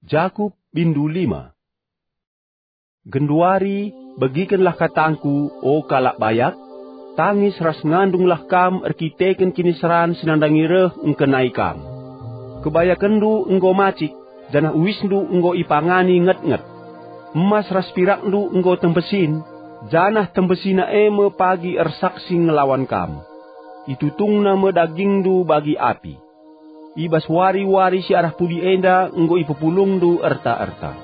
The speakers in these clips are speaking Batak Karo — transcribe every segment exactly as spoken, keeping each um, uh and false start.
Jakup bindu lima. Genduari, begikenlah katangku, o kalak bayak, tangis ras ngandunglah kam erkiteken kiniseran si nandangi reh engkenai kam. Kebayakenndu enggo macik, janah uisndu enggo ipangani nget-nget. Emas ras pirakndu enggo tembesin, janah tembesina e me pagi ersaksi ngelawan kam. Itutungna me dagingndu bagi api. I bas wari-wari si arah pudi enda enggo ipepulungndu erta-erta.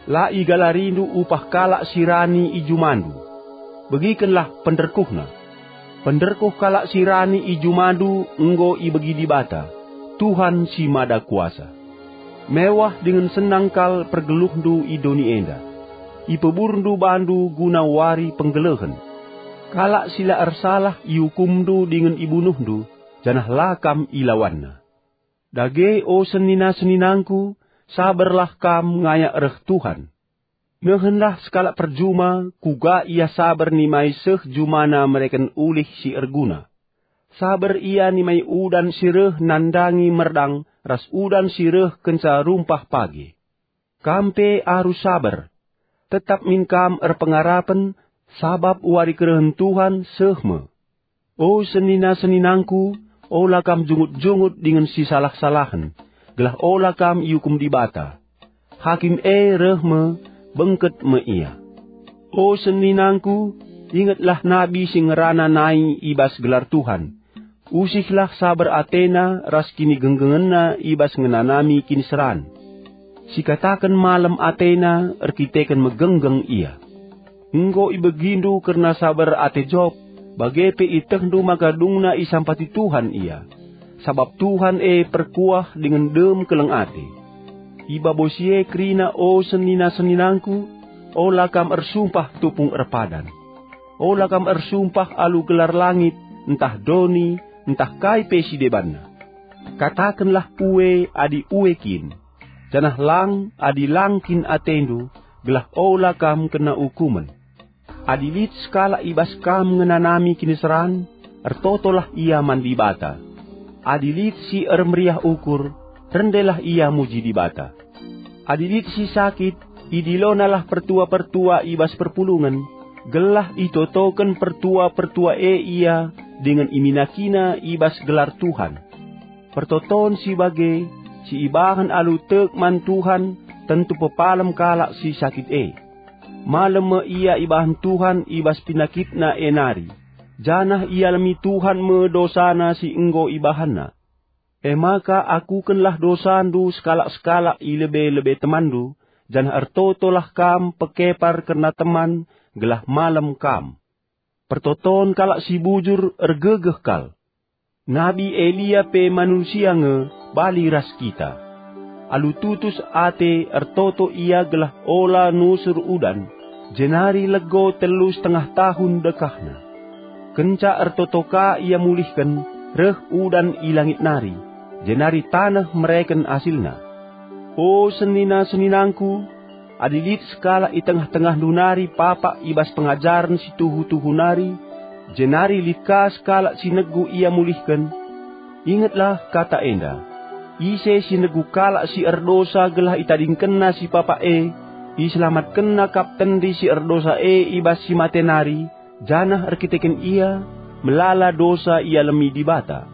La igalarindu upah kalak si rani i jumandu. Begikenlah penderkuhna. Penderkuh kalak si rani i jumandu enggo ibegi Dibata, Tuhan si Mada Kuasa. Mewah dingen senang kal pergeluhndu i doni enda. Ipeburndu bandu guna wari penggelehen. Kalak si la ersalah iukumndu dingen ibunuhndu, janah la kam ilawanna. Dage, o senina-seninangku, saberlah kam ngayak reh Tuhan. Nehenlah sekalak perjuma, kuga ia saber nimai seh jumana mereken ulih si erguna. Saber ia nimai udan si reh nandangi merdang ras udan si reh kenca rumpah pagi. Kam pe arus saber. Tetap min kam erpengarapen, sabap wari kerehen Tuhan seh me. O senina-seninangku, ola kam jungut-jungut dingen sisalah-salahen, gelah ola kam iukum Dibata. Hakim e reh me, bengket me ia. O seninangku, ingetlah nabi si ngerana nai i bas gelar Tuhan. Usihlah saber atena ras kinigenggengenna i bas ngenanami kiniseran. Sikataken malem atena erkiteken megenggeng ia. Enggo ibegindu kerna saber ate Job, bage pe ietehndu maka dungna isampati Tuhan ia. Sabap Tuhan e perkuah dingen dem keleng ate. I babo si e kerina, o senina-seninangku, ola kam ersumpah tupung erpadan. Ola kam ersumpah alu gelar langit, ntah doni, ntah kai pe si debanna. Katakenlah ue adi ue kin, janah lang adi lang kin atendu, gelah ola kam kena ukumen. Adi lit sekalak i bas kam ngenanami kiniseran, ertotolah ia man Dibata. Adi lit si ermeriah ukur, rendelah ia muji Dibata. Adi lit si sakit, idilonalah pertua-pertua i bas perpulungen, gelah itotoken pertua-pertua e ia dingen iminakina i bas gelar Tuhan. Pertoton si bage, si ibahan alu tek man Tuhan, tentu pepalem kalak si sakit e. Malem me ia ibahan Tuhan i bas pinakitna e nari, janah ialemi Tuhan me dosana si enggo ibahanna. E maka akukenlah dosandu sekalak-sekalak i lebe-lebe temanndu, janah ertotolah kam pekepar kerna teman, gelah malem kam. Pertoton kalak si bujur ergegeh kal. Nabi Elia pe manusia nge, bali ras kita. Alu tutus ate ertoto ia gelah ola nusur udan, jenari lego telu setengah tahun dekahna. Kenca ertoto ka ia mulihken, reh udan i langit nari, jenari taneh mereken asilna. O senina-seninangku, adi lit sekalak i tengah-tengahndu nari papak i bas pengajaren si tuhu-tuhu nari, jenari lit ka sekalak si negu ia mulihken, ingetlah kata enda: Ise si negu kalak si erdosa gelah itadingkenna si papak e, iselamatkenna kap tendi si erdosa e i bas si mate nari, janah erkiteken ia, melala dosa ialemi Dibata.